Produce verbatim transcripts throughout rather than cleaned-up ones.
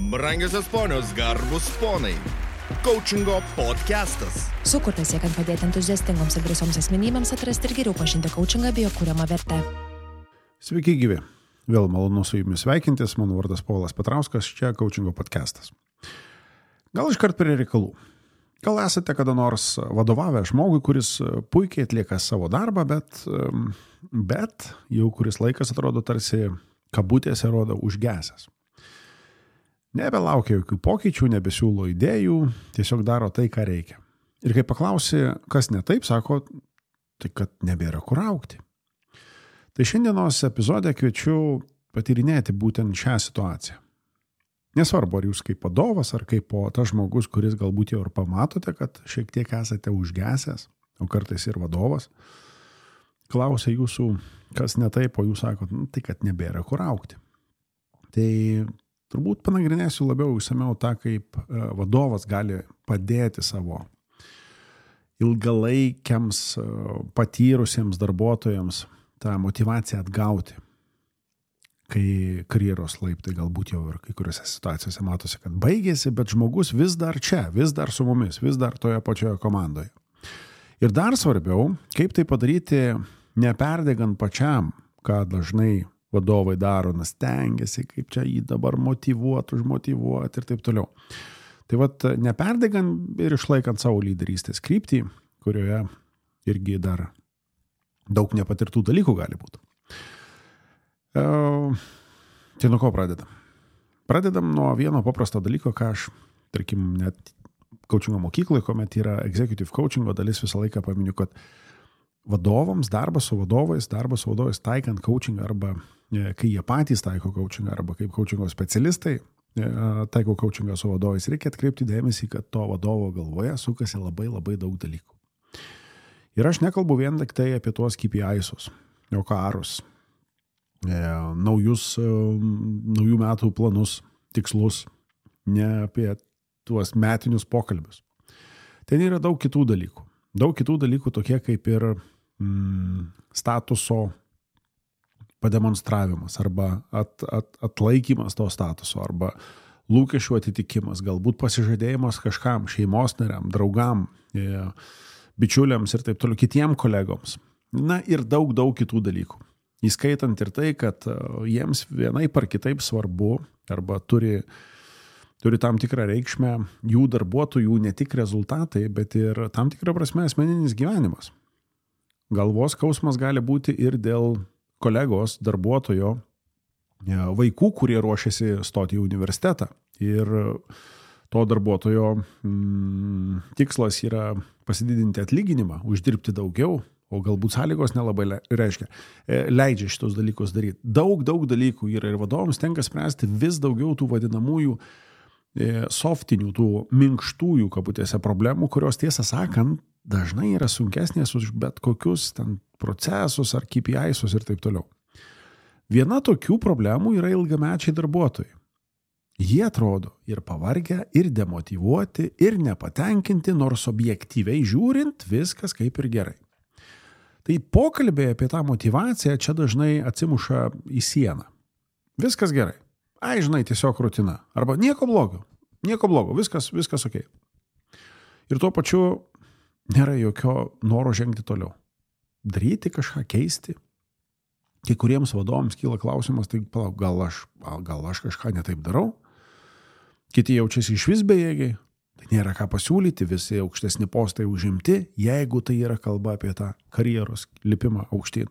Brangiosios ponios, garbus ponai. Coachingo podcastas. Sukurtas siekiant padėti entuziastingoms ir drąsioms asmenybėms atrasti ir geriau pažinti coachingą bei jo kuriamą vertę. Sveiki gyvi. Vėl malonu su jumis sveikintis. Mano vardas Povilas Petrauskas, čia Coachingo podcastas. Gal iškart prie reikalų. Gal esate kada nors vadovavę žmogui, kuris puikiai atlieka savo darbą, bet, bet jau kuris laikas atrodo tarsi kabutėse rodo užgesęs. Nebelaukia jokių pokyčių, nebesiūlo idėjų, tiesiog daro tai, ką reikia. Ir kai paklausi, kas ne taip, sako, tai kad nebėra kur augti. Tai šiandienos epizode kviečiu patyrinėti būtent šią situaciją. Nesvarbu, ar jūs kaip vadovas, ar kaip po tas žmogus, kuris galbūt jau ir pamatote, kad šiek tiek esate užgesęs, o kartais ir vadovas, klausia jūsų, kas ne taip, o jūs sakot, nu, tai kad nebėra kur augti. Tai turbūt panagrinėsiu labiau išsamiau tą, kaip vadovas gali padėti savo ilgalaikiams patyrusiems darbuotojams tą motyvaciją atgauti, kai karjeros laiptai galbūt jau ir kai kuriuose situacijose matosi, kad baigėsi, bet žmogus vis dar čia, vis dar su mumis, vis dar toje pačioje komandoje. Ir dar svarbiau, kaip tai padaryti neperdegant pačiam, ką dažnai vadovai daro, nes stengiasi, kaip čia jį dabar motyvuoti, užmotyvuoti ir taip toliau. Tai vat neperdegant ir išlaikant savo lyderystės kryptį, kurioje irgi dar daug nepatirtų dalykų gali būti. E, tai nuo ko pradedam? Pradedam nuo vieno paprasto dalyko, ką aš, tarkim, net coachingo mokykloje, kuomet yra executive coachingo dalis, visą laiką paminiu, kad vadovams, darbas su vadovais, darbas su vadovais taikant coachingą arba kai jie patys taiko coachingą arba kaip coachingo specialistai taiko coachingą su vadovais, reikia atkreipti dėmesį, kad to vadovo galvoje sukasi labai labai daug dalykų. Ir aš nekalbu vien tik tai apie tuos K P I-sus, jokarus, naujus, naujų metų planus, tikslus, ne apie tuos metinius pokalbius. Ten yra daug kitų dalykų. Daug kitų dalykų tokie kaip ir mm, statuso pademonstravimas arba at, at, atlaikymas to statuso arba lūkesčių atitikimas, galbūt pasižadėjimas kažkam, šeimos nariam, draugam, e, bičiuliams ir taip toliau, kitiem kolegoms. Na ir daug, daug kitų dalykų. Įskaitant ir tai, kad jiems vienaip ar kitaip svarbu arba turi turi tam tikrą reikšmę jų darbuotojų ne tik rezultatai, bet ir tam tikrą prasme asmeninis gyvenimas. Galvos skausmas gali būti ir dėl kolegos, darbuotojo, vaikų, kurie ruošiasi stoti į universitetą. Ir to darbuotojo mm, tikslas yra pasididinti atlyginimą, uždirbti daugiau, o galbūt sąlygos nelabai reiškia, leidžia šitos dalykus daryti. Daug, daug dalykų yra ir vadovams tenka spręsti vis daugiau tų vadinamųjų softinių, tų minkštųjų kabutėse problemų, kurios tiesą sakant dažnai yra sunkesnės už bet kokius ten procesus ar K P I-sus ir taip toliau. Viena tokių problemų yra ilgamečiai darbuotojai. Jie atrodo ir pavargę, ir demotyvuoti, ir nepatenkinti, nors objektyviai žiūrint viskas kaip ir gerai. Tai pokalbiai apie tą motyvaciją čia dažnai atsimuša į sieną. Viskas gerai. Ai, žinai, tiesiog rutina. Arba nieko blogo. Nieko blogo. Viskas, viskas okei. Ir tuo pačiu nėra jokio noro žengti toliau. Daryti kažką, keisti. Kai kuriems vadovams kyla klausimas, tai palauk, gal aš, gal aš kažką netaip darau. Kiti jaučiasi išvis bejėgiai. Tai nėra ką pasiūlyti, visi aukštesni postai užimti, jeigu tai yra kalba apie tą karjeros lipimą aukštyn.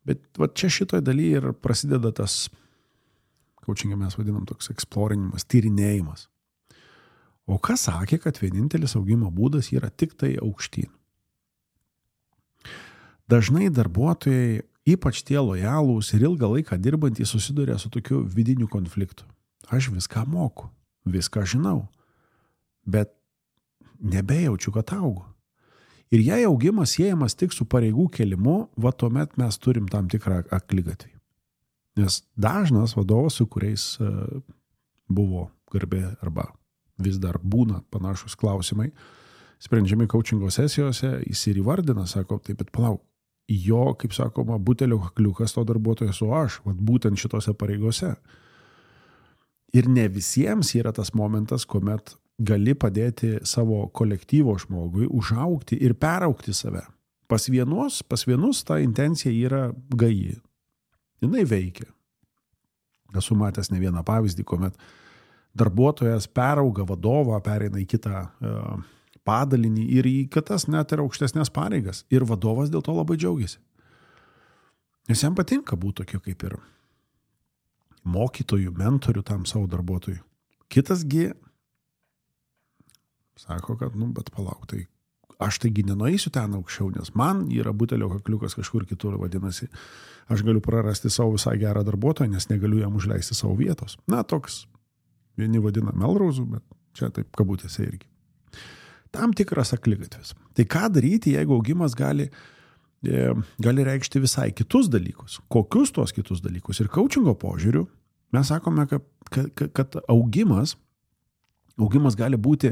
Bet va čia šitoje dalyje ir prasideda tas coachingą mes vadinam toks eksplorinimas, tyrinėjimas. O kas sakė, kad vienintelis augimo būdas yra tik tai aukštyn? Dažnai darbuotojai, ypač tie lojalūs ir ilgą laiką dirbantys, susiduria su tokiu vidiniu konfliktu. Aš viską moku, viską žinau, bet nebejaučiu, kad augu. Ir jei augimas siejamas tik su pareigų kėlimu, va tuomet mes turim tam tikrą akligatvį. Nes dažnas vadovas, su kuriais buvo garbė arba vis dar būna panašus klausimai, sprendžiami coachingo sesijose, jis ir įvardina, sako, taip, bet palauk, jo, kaip sakoma, butelio kakliukas to darbuotojo su aš, vat būtent šitose pareigose. Ir ne visiems yra tas momentas, kuomet gali padėti savo kolektyvo žmogui užaugti ir peraugti save. Pas vienus, pas vienus ta intencija yra gaji. Jinai veikia. Esu matęs ne vieną pavyzdį, kuomet darbuotojas perauga vadovą, pereina į kitą uh, padalinį ir į kitas net ir aukštesnės pareigas. Ir vadovas dėl to labai džiaugiasi. Nes jam patinka būti tokiu kaip ir mokytojų, mentorių tam savo darbuotojui. Kitasgi sako, kad, nu, bet palauk, tai aš taigi nenueisiu ten aukščiau, nes man yra butelio kakliukas kažkur kitur, vadinasi, aš galiu prarasti savo visai gerą darbuotoją, nes negaliu jam užleisti savo vietos. Na, toks, vieni vadina Melrauzu, bet čia taip kabutėse irgi. Tam tikras akligatvis. Tai ką daryti, jeigu augimas gali gali reikšti visai kitus dalykus. Kokius tuos kitus dalykus? Ir coachingo požiūriu mes sakome, kad, kad, kad augimas, augimas gali būti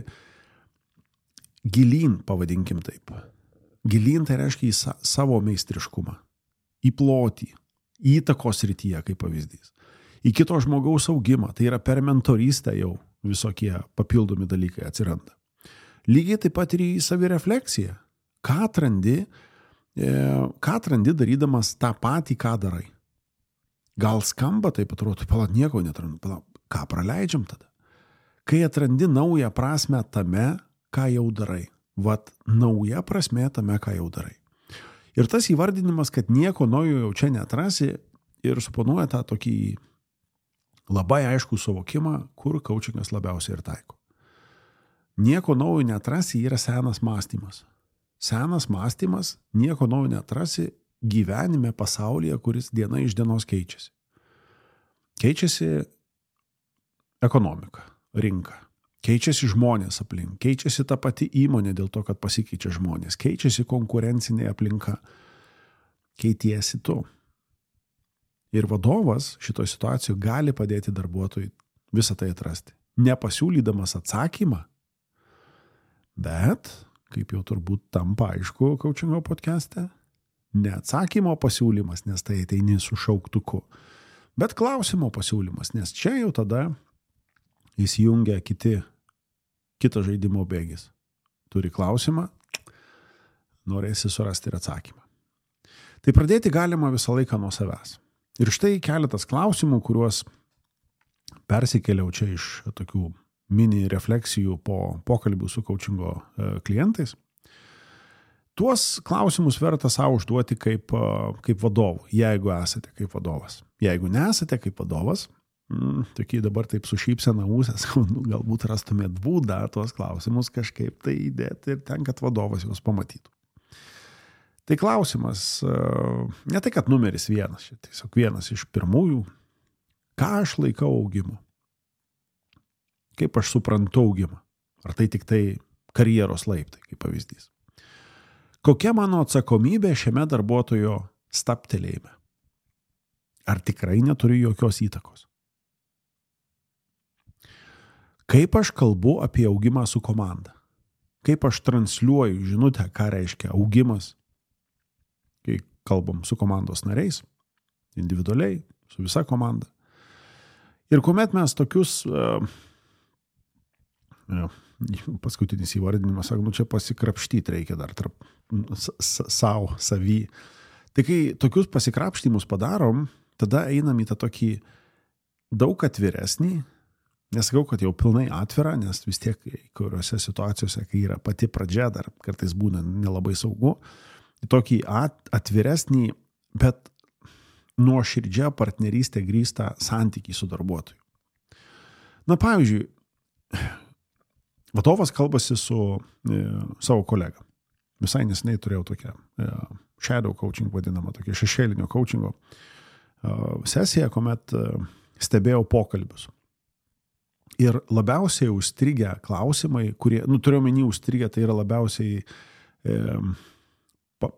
gilyn, pavadinkim taip. Gilyn tai reiškia į sa, savo meistriškumą, į plotį, į įtakos srityje, kaip pavyzdys. Į kito žmogaus augimą, tai yra per mentorystę jau visokie papildomi dalykai atsiranda. Lygiai taip pat ir į savirefleksiją. Ką atrandi, ką atrandi darydamas tą patį, ką darai. Gal skamba taip atrodo, pala, nieko netrandu, pala, ką praleidžiam tada? Kai atrandi naują prasmę tame, ką jau darai. Vat nauja prasmė tame, ką jau darai. Ir tas įvardinimas, kad nieko naujo jau čia neatrasi ir suponuoja tą tokį labai aiškų suvokimą, kur coachingas labiausiai ir taiko. Nieko naujo neatrasi yra senas mąstymas. Senas mąstymas, nieko naujo neatrasi gyvenime pasaulyje, kuris diena iš dienos keičiasi. Keičiasi ekonomika, rinka. Keičiasi žmonės aplink. Keičiasi ta pati įmonė dėl to, kad pasikeičia žmonės. Keičiasi konkurencinė aplinka. Keitiesi tu. Ir vadovas šitoje situacijoje gali padėti darbuotojui visą tai atrasti. Nepasiūlydamas atsakymą, bet kaip jau turbūt tampa aišku coachingo podcaste, ne atsakymo pasiūlymas, nes tai ateini su šauktuku, bet klausimo pasiūlymas, nes čia jau tada įsijungia kiti, kitas žaidimo bėgis. Turi klausimą, norėsi surasti ir atsakymą. Tai pradėti galima visą laiką nuo savęs. Ir štai keletas klausimų, kuriuos persikėliau čia iš tokių mini refleksijų po pokalbių su coachingo klientais. Tuos klausimus verta savo užduoti kaip, kaip vadovų, jeigu esate kaip vadovas. Jeigu nesate kaip vadovas, mm, tokie dabar taip su šypsena ūsės, galbūt rastumėt būdą tuos klausimus kažkaip tai įdėti ir ten, kad vadovas juos pamatytų. Tai klausimas, ne tai, kad numeris vienas, tiesiog vienas iš pirmųjų, ką aš laikau augimu? Kaip aš suprantu augimą? Ar tai tik tai karjeros laiptai, kaip pavyzdys? Kokia mano atsakomybė šiame darbuotojo stabtelėjime? Ar tikrai neturiu jokios įtakos? Kaip aš kalbu apie augimą su komanda? Kaip aš transliuoju žinutę, ką reiškia augimas, kai kalbam su komandos nariais, individualiai, su visa komanda. Ir kuomet mes tokius... Uh, Ja, paskutinis įvardinimas, sako, nu čia pasikrapštyti reikia dar tarp savo, savy. Tai kai tokius pasikrapštimus padarom, tada einam į tą tokį daug atviresnį, nesakau, kad jau pilnai atvira, nes vis tiek kuriuose situacijose, kai yra pati pradžia, dar kartais būna nelabai saugu, tokį atviresnį, bet nuoširdžia partnerystė grįstą santykį su darbuotoju. Na, pavyzdžiui, vadovas kalbasi su e, savo kolega. Visai neseniai turėjau tokią e, shadow coaching vadinamą, tokią šešėlinio coachingo e, sesiją, kuomet e, stebėjau pokalbius. Ir labiausiai užstrigę klausimai, kurie, nu, turiu omeny užstrigę, tai yra labiausiai, e, pa,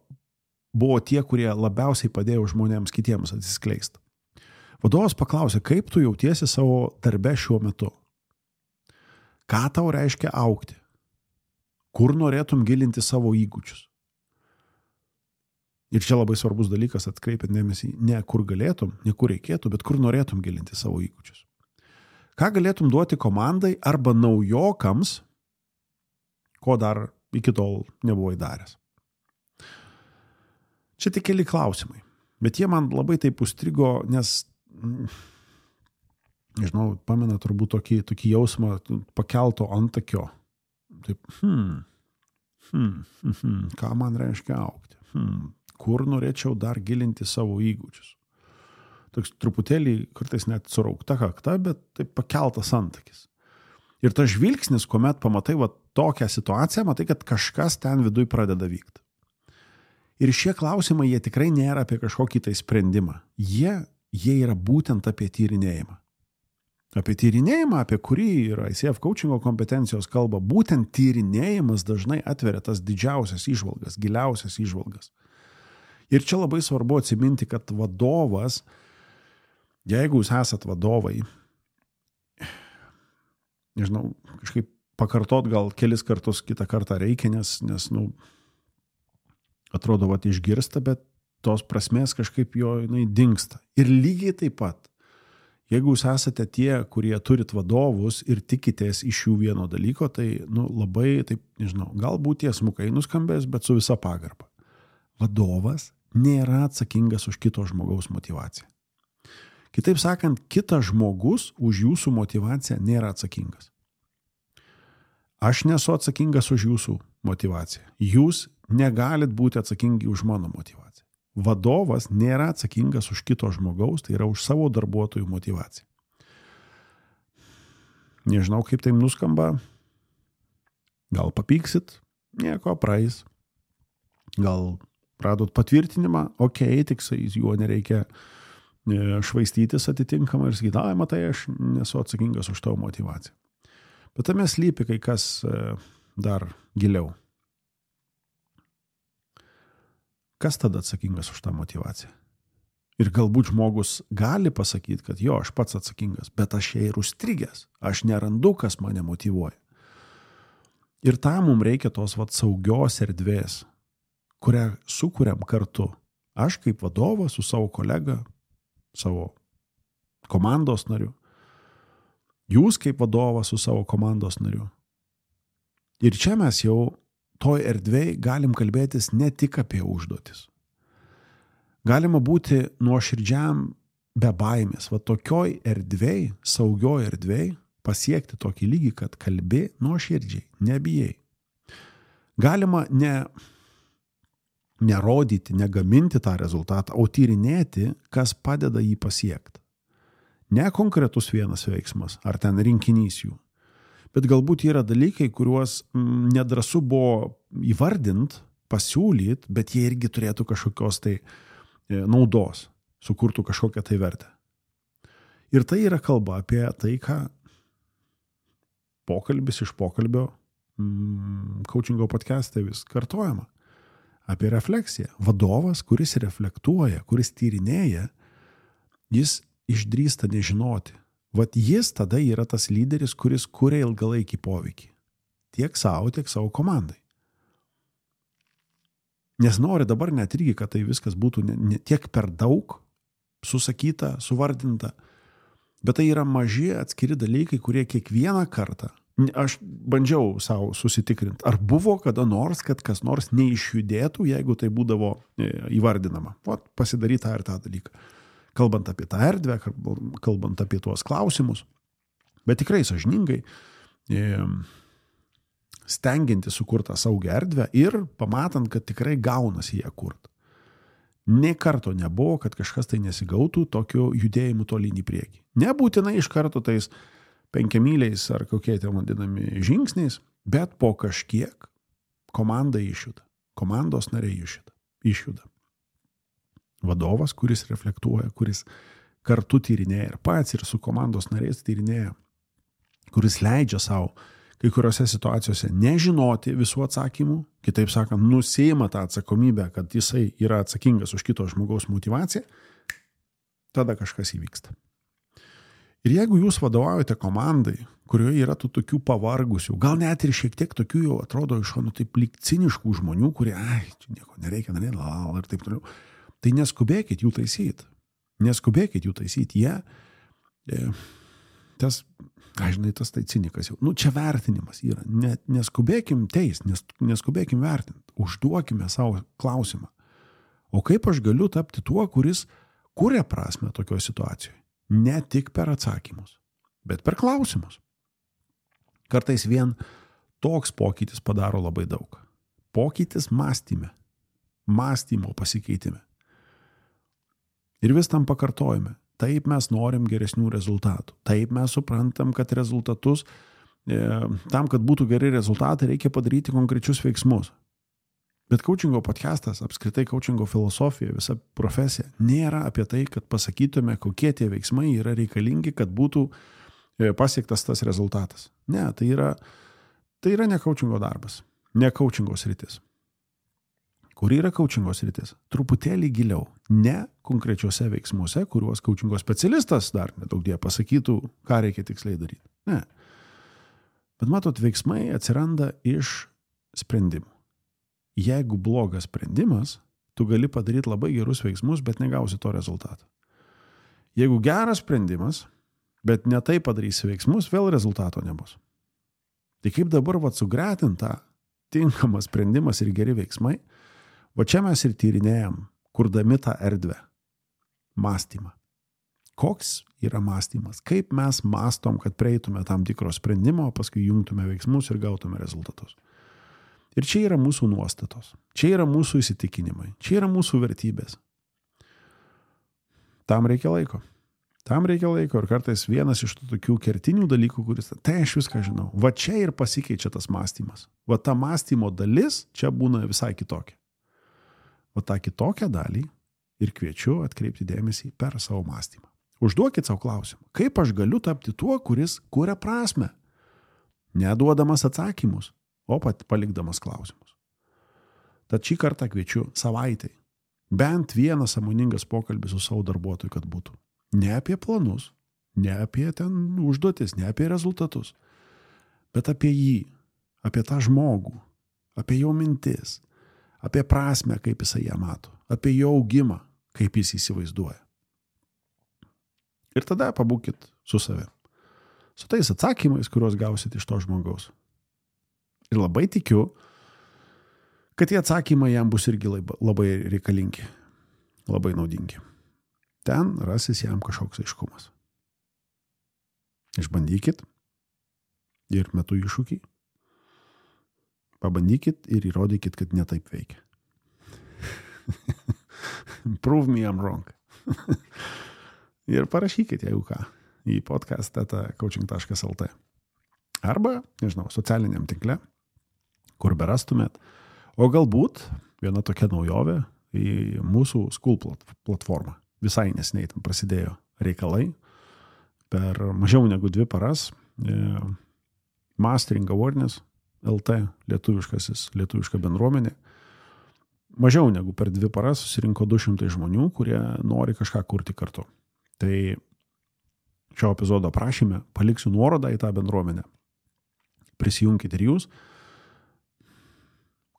buvo tie, kurie labiausiai padėjo žmonėms kitiems atsiskleisti. Vadovas paklausė, kaip tu jautiesi savo darbe šiuo metu? Ką tau reiškia augti? Kur norėtum gilinti savo įgūdžius? Ir čia labai svarbus dalykas, atkreipiant dėmesį, ne kur galėtum, ne kur reikėtų, bet kur norėtum gilinti savo įgūdžius. Ką galėtum duoti komandai arba naujokams, ko dar iki tol nebuvai daręs? Čia tik keli klausimai, bet jie man labai taip užstrigo, nes, nežinau, pamena turbūt tokį, tokį jausmą pakelto antakio. Taip, hmm, hmm, hmm, ką man reiškia augti? Hmm, kur norėčiau dar gilinti savo įgūdžius? Toks truputėlį, kartais net suraukta kakta, bet taip pakeltas antakis. Ir tas žvilgsnis, kuomet pamatai va, tokią situaciją, matai, kad kažkas ten viduj pradeda vykti. Ir šie klausimai, jie tikrai nėra apie kažkokį tai sprendimą. Jie, jie yra būtent apie tyrinėjimą. Apie tyrinėjimą, apie kurį yra I C F coachingo kompetencijos kalba, būtent tyrinėjimas dažnai atveria tas didžiausias įžvalgas, giliausias įžvalgas. Ir čia labai svarbu atsiminti, kad vadovas, jeigu jūs esat vadovai, nežinau, kažkaip pakartot gal kelis kartus kitą kartą reikia, nes, nes nu, atrodo, vat išgirsta, bet tos prasmės kažkaip jo jinai dingsta. Ir lygiai taip pat, jeigu jūs esate tie, kurie turit vadovus ir tikitės iš jų vieno dalyko, tai nu, labai, taip, nežinau, galbūt tiesmukai nuskambės, bet su visa pagarba. Vadovas nėra atsakingas už kito žmogaus motivaciją. Kitaip sakant, kitas žmogus už jūsų motivaciją nėra atsakingas. Aš nesu atsakingas už jūsų motivaciją. Jūs negalit būti atsakingi už mano motivaciją. Vadovas nėra atsakingas už kito žmogaus, tai yra už savo darbuotojų motivaciją. Nežinau, kaip tai nuskamba. Gal papyksit, nieko praeis. Gal radot patvirtinimą, okei, okay, tik juo nereikia švaistytis atitinkamai ir sakyti, ai, matai, aš nesu atsakingas už tavo motivaciją. Bet tame slypi kai kas dar giliau. Kas tada atsakingas už tą motivaciją? Ir galbūt žmogus gali pasakyti, kad jo, aš pats atsakingas, bet aš jai ir užstrigęs. Aš nerandu, kas mane motyvuoja. Ir tam mums reikia tos vat, saugios erdvės, kurią sukuriam kartu. Aš kaip vadovas su savo kolega, savo komandos nariu. Jūs kaip vadovas su savo komandos nariu. Ir čia mes jau toj erdvėj galim kalbėtis ne tik apie užduotis. Galima būti nuoširdžiam be baimės. Va tokioj erdvėj, saugioj erdvėj pasiekti tokį lygį, kad kalbi nuoširdžiai, nebijai. Galima ne, nerodyti, negaminti tą rezultatą, o tyrinėti, kas padeda jį pasiekti. Ne konkretus vienas veiksmas, ar ten rinkinys jų. Bet galbūt yra dalykai, kuriuos nedrąsu buvo įvardint, pasiūlyt, bet jie irgi turėtų kažkokios tai naudos, sukurtų kažkokią tai vertę. Ir tai yra kalba apie tai, ką pokalbis iš pokalbio coachingo podcast'e vis kartojama. Apie refleksiją. Vadovas, kuris reflektuoja, kuris tyrinėja, jis išdrįsta nežinoti. Vat jis tada yra tas lyderis, kuris kuria ilgalaikį poveikį. Tiek savo, tiek savo komandai. Nes nori dabar net irgi, kad tai viskas būtų ne, ne tiek per daug susakyta, suvardinta, bet tai yra maži atskiri dalykai, kurie kiekvieną kartą, aš bandžiau savo susitikrinti, ar buvo kada nors, kad kas nors neišjudėtų, jeigu tai būdavo įvardinama. Vat pasidaryt tą ir tą dalyką. Kalbant apie tą erdvę, kalbant apie tuos klausimus, bet tikrai sąžiningai stengianti sukurtą saugią erdvę ir pamatant, kad tikrai gaunasi ją kurt. Nė karto nebuvo, kad kažkas tai nesigautų tokiu judėjimu tolyn į priekį. Nebūtinai iš karto tais penkiamyliais ar kokie tie vadinami žingsniais, bet po kažkiek komanda išjuda. Komandos nariai išjuda. išjuda. Vadovas, kuris reflektuoja, kuris kartu tyrinėja ir pats ir su komandos nariais tyrinėja, kuris leidžia savo kai kuriuose situacijose nežinoti visų atsakymų, kitaip sakant, nusiima tą atsakomybę, kad jisai yra atsakingas už kito žmogaus motivaciją, tada kažkas įvyksta. Ir jeigu jūs vadovaujate komandai, kurioje yra tų tokių pavargusių, gal net ir šiek tiek tokių jau atrodo iš šonų taip lyg ciniškų žmonių, kurie, ai, čia nieko nereikia, daryti, lal, ir taip toliau, tai neskubėkit jų taisyti. Neskubėkit jų taisyti. Jie, tas, aš žinai, tas tai cinikas jau. Nu, čia vertinimas yra. Ne, neskubėkim teis, nes, neskubėkim vertinti. Užduokime savo klausimą. O kaip aš galiu tapti tuo, kuris kuria prasme tokioje situacijoje? Ne tik per atsakymus, bet per klausimus. Kartais vien toks pokytis padaro labai daug. Pokytis mąstyme. Mąstymo pasikeitime. Ir vis tam pakartojame. Taip mes norim geresnių rezultatų. Taip mes suprantam, kad rezultatus, e, tam, kad būtų geri rezultatai, reikia padaryti konkrečius veiksmus. Bet coachingo podcastas, apskritai coachingo filosofija, visa profesija, nėra apie tai, kad pasakytume, kokie tie veiksmai yra reikalingi, kad būtų pasiektas tas rezultatas. Ne, tai yra, tai yra ne coachingo darbas, ne coachingo sritis. Kur yra coachingo sritis? Truputėlį giliau, ne konkrečiuose veiksmuose, kuriuos coachingo specialistas dar nedaug die pasakytų, ką reikia tiksliai daryti. Ne. Bet matot, veiksmai atsiranda iš sprendimų. Jeigu blogas sprendimas, tu gali padaryti labai gerus veiksmus, bet negausi to rezultato. Jeigu geras sprendimas, bet ne tai padarysi veiksmus, vėl rezultato nebus. Tai kaip dabar vat sugretintą tinkamas sprendimas ir geri veiksmai, va čia mes ir tyrinėjam, kurdami tą erdvę. Mąstymą. Koks yra mąstymas? Kaip mes mąstom, kad prieitume tam tikro sprendimo, paskui jungtume veiksmus ir gautume rezultatus. Ir čia yra mūsų nuostatos, čia yra mūsų įsitikinimai, čia yra mūsų vertybės. Tam reikia laiko. Tam reikia laiko ir kartais vienas iš tų tokių kertinių dalykų, kuris, tai aš viską žinau. Va čia ir pasikeičia tas mąstymas. Va ta mąstymo dalis čia būna visai kitokia. Va tą kitokią dalį ir kviečiu atkreipti dėmesį per savo mąstymą. Užduokit savo klausimą. Kaip aš galiu tapti tuo, kuris kuria prasmę? Neduodamas atsakymus, o pat palikdamas klausimus. Tad šį kartą kviečiu savaitai. Bent vienas sąmoningas pokalbis su savo darbuotoju, kad būtų. Ne apie planus, ne apie ten užduotis, ne apie rezultatus, bet apie jį, apie tą žmogų, apie jo mintis, apie prasmę, kaip jisai ją mato, apie jo augimą, kaip jis įsivaizduoja. Ir tada pabūkit su savim. Su tais atsakymais, kuriuos gausit iš to žmogaus. Ir labai tikiu, kad tie atsakymai jam bus irgi labai reikalingi, labai naudingi. Ten rasis jam kažkoks aiškumas. Išbandykit ir metu iššūkį. Pabandykit ir įrodykit, kad ne taip veikia. Prove me I'm wrong. Ir parašykit, jeigu ką, į podcast eta coaching taškas el t. Arba, nežinau, socialiniam tinkle, kur berastumėt. O galbūt viena tokia naujovė į mūsų School platformą. Visai neseniai tam prasidėjo reikalai. Per mažiau negu dvi paras e, Mastering Awareness el te, lietuviškasis, lietuviška bendruomenė. Mažiau negu per dvi paras susirinko du šimtai žmonių, kurie nori kažką kurti kartu. Tai šio epizodo aprašyme paliksiu nuorodą į tą bendruomenę. Prisijunkit ir jūs.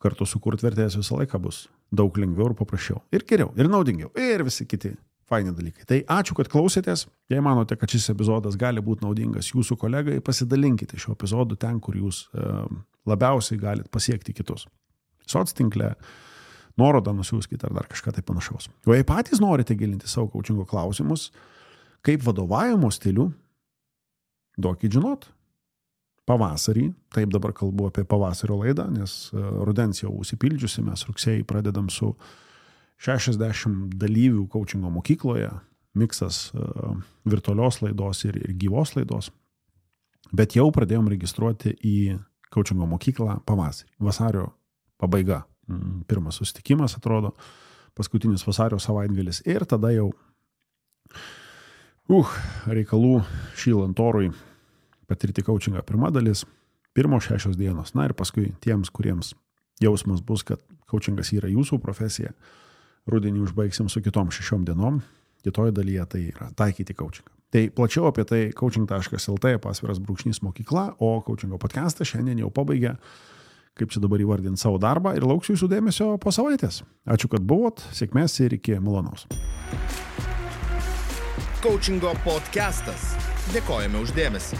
Kartu sukurt vertės visą laiką bus daug lengviau ir paprasčiau. Ir geriau, ir naudingiau, ir visi kiti faini dalykai. Tai ačiū, kad klausėtės. Jei manote, kad šis epizodas gali būti naudingas jūsų kolegai, pasidalinkite šio epizodu ten, kur jūs e, labiausiai galite pasiekti kitus. Soc tinkle, nuorodą nusiųskite ar dar kažką tai panašaus. O jei patys norite gilinti savo coachingo klausimus, kaip vadovavimo stilių, duokit žinot. Pavasarį, taip dabar kalbu apie pavasario laidą, nes rudens jau užsipildžiusi, mes rugsėjai pradedam su šešiasdešimt dalyvių coachingo mokykloje, miksas uh, virtualios laidos ir, ir gyvos laidos, bet jau pradėjom registruoti į coachingo mokyklą pavasarį, vasario pabaiga, mm, pirmas susitikimas atrodo, paskutinis vasario savaitgalis ir tada jau uh, reikalų šylant orui patirti coachingą pirma dalis, pirmos šešios dienos. Na ir paskui tiems, kuriems jausmas bus, kad coachingas yra jūsų profesija, rudenį užbaigsim su kitom šešiom dienom, kitoje dalyje tai yra taikyti coachingą. Tai plačiau apie tai coaching taškas el t pasviras brūkšnys mokykla, o coachingo podcastas šiandien jau pabaigė, kaip čia dabar įvardinti savo darbą ir lauksiu jūsų dėmesio po savaitės. Ačiū, kad buvot, sėkmės ir iki malonaus. Coachingo podcastas. Dėkojame už dėmesį.